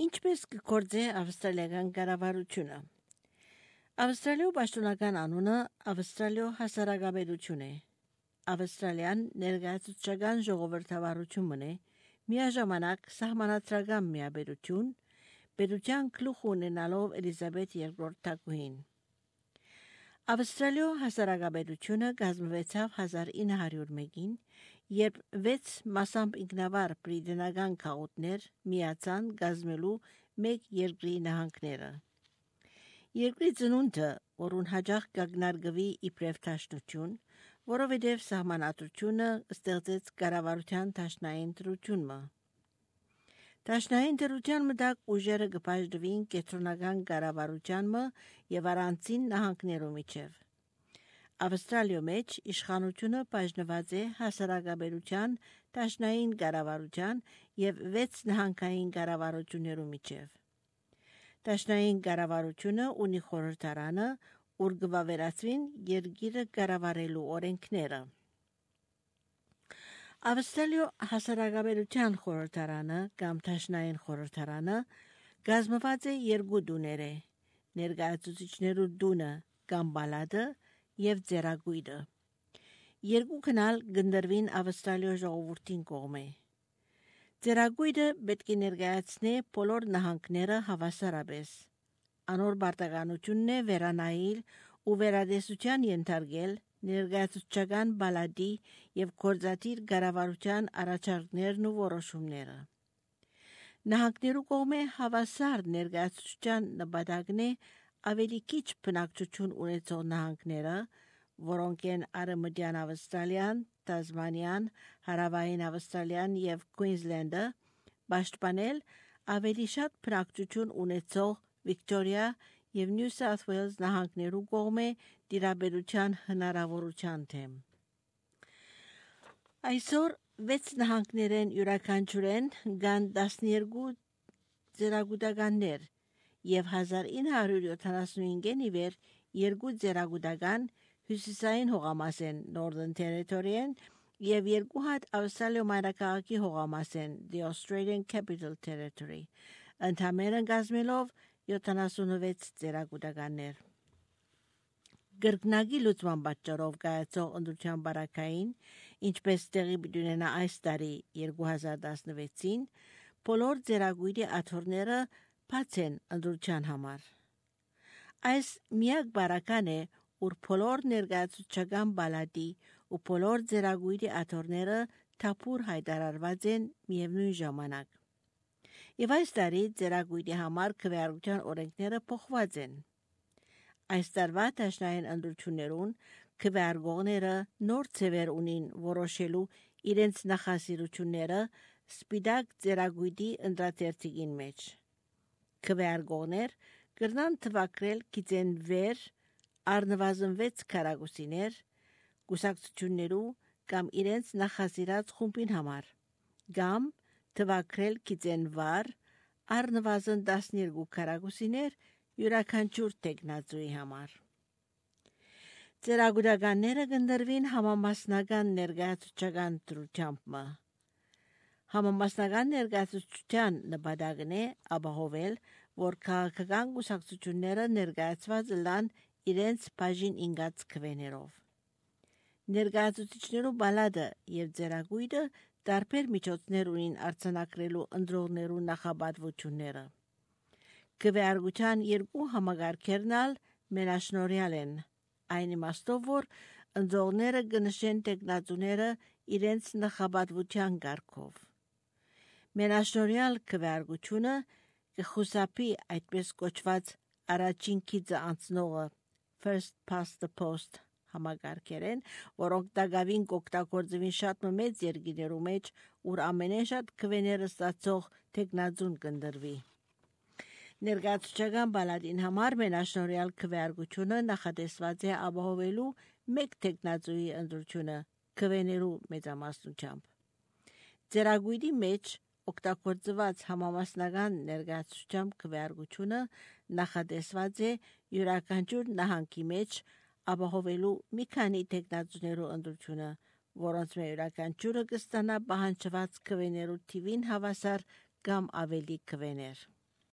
Ինչպես կգործե ավստրալիական կառավարությունը։ Ավստրալիո պաշտոնական անունը Ավստրալիո հասարակապետություն է։ Ավստրալիան ներկայացուցչական ժողովրդավարություն է, միաժամանակ սահմանադրական միաբերություն, պետության գլուխ ունենալով Էլիզաբեթ II թագուհին։ Ավստրալիո հասարակապետությունը կազմվեցավ 1901-ին, երբ 6 մասամբ ինքնավար բրիտանական քաղաքներ միացան կազմելու մեկ երկրի նահանգները։ Երկրի ծնունդը, որուն հաճախ կակնարկվի իբրև դաշնություն, որովհետև սահմանադրությունը ստեղծեց կառավարության դաշնային դրությունը։ Դաշնային դրության մտակ ուժերը կբաժնվին կենտրոնական կառավարությանը եւ առանցին նահանգներու միջև։ Ավստրալիո մեջ իշխանությունը բաժնված է հասարակապետության, դաշնային կառավարության եւ 6 նահանգային կառավարություններու միջև։ Դաշնային կառավարությունը ունի խորհրդարանը, ուր կվավերացվին երկիրը կառավարելու օրենքները։ Ավստրալիո հասարակապետության խորհրդարանը կամ դաշնային խորհրդարանը կազմված է երկու տուներ, ներկայացուցիչներու տունը կամ պալատը եւ ծերագույդը։ Երկու քնալ կնդրվին Ավստրալիո ժողովրդին կողմէ։ Ծերագույդը պետք է ներկայացնե բոլոր նահանգները հավասարապես։ Անոր պարտականությունն է վերանայել ու վերադեսության ենթարկել ներկայացուցչական պալատի եւ գործադիր կառավարության առաջարկներն ու որոշումները։ Նահանգներու կողմէ հավասար ներկայացուցչության նպատակն է ավելի քիչ բնակչություն ունեցող նահանգները, որոնք են Արևմտյան Ավստրալիան, Տասմանիան, Հարավային Ավստրալիան եւ Քուինզլենդը, պաշտպանել ավելի շատ բնակչություն ունեցող Վիկտորիա եւ Նյու Սաութ Ուելս նահանգներու կողմէ դիրապետության հնարավորության թեմ։ Այսօր 6 նահանգներեն յուրաքանչյուրեն կան 12 ծերագուտականներ եւ 1975-ին ի վեր 2 ծերագուտական հյուսիսային հողամաս են Northern Territory-ն եւ 2 հատ Ավստրալիո մայրաքաղաքի հողամաս են The Australian Capital Territory, ընդհանրեն կազմելով 76 ծերագուտականներ։ Գրկնագի լուծման պատճառով կայացող ընտրության բարակային, ինչպես տեղի ունենա այս տարի 2016-ին, բոլոր ծերագույդի աթոռները բաց են ընտրության համար։ Այս միակ բարական է, ուր բոլոր ներկայացուցչական պալատի ու բոլոր ծերագույդի աթոռները թափուր հայտարարված են միևնույն ժամանակ։ Եվ այս տարի ծերագույդի համար քվեարկության օրենքները փոխված են։ Այս տարվա դաշնային ընտրություններուն քվեարկողները նոր ձևեր ունին որոշելու իրենց նախասիրությունները սպիտակ ծերագույդի ընտրատերթիկին մեջ։ Քվեարկողներ կրնան թվակրել գիծեն վեր առնվազն 6 քառակուսիներ կուսակցություններու կամ իրենց նախասիրած խումբին համար, կամ թվակրել գիծեն վար առնվազն 12 քառակուսիներ յուրաքանչյուր տեխնացուի համար։ Ծերագուտականները կնդրվին համամասնական ներկայացուցչական դրությամբ։ Համամասնական ներկայացուցչության նպատակն է ապահովել, որ քաղաքական կուսակցությունները ներկայացված լան իրենց բաժին ինգած քվեներով։ Ներկայացուցիչներու պալատը եւ ծերագույդը տարբեր միջոցներ ունին արձանագրելու ընտրողներու նախապատվությունները։ Քվեարկության երկու համագարկերն ալ մենաշնորհյալ են, այն իմաստով, որ ընտրողները կնշեն տեխնացուները իրենց նախապատվության կարգով։ Մենաշնորհյալ քվեարկությունը կխուսափի այդպես կոչված առաջին քիծը անցնողը first past the post համագարկերեն, որոնք դակավին կօգտագործվին շատ մեծ երկրներու մեջ, ուր ամենաշատ քվեները ստացող տեխնացուն կնդրվի։ Ներկայացուցչական պալատին համար մենաշնորհյալ քվեարկությունը նախատեսված է ապահովելու մեկ տեխնացուի ընտրությունը քվեներու մեծամասնությամբ։ Ծերագույդի մեջ օգտագործված համամասնական ներկայացուցչությամբ քվեարկությունը նախատեսված է յուրաքանչյուր նահանգի մեջ ապահովելու մի քանի տեխնացուներու ընտրությունը, որոնց յուրաքանչյուրը կստանա պահանջված քվեներու թիվին հավասար կամ ավելի քվեներ։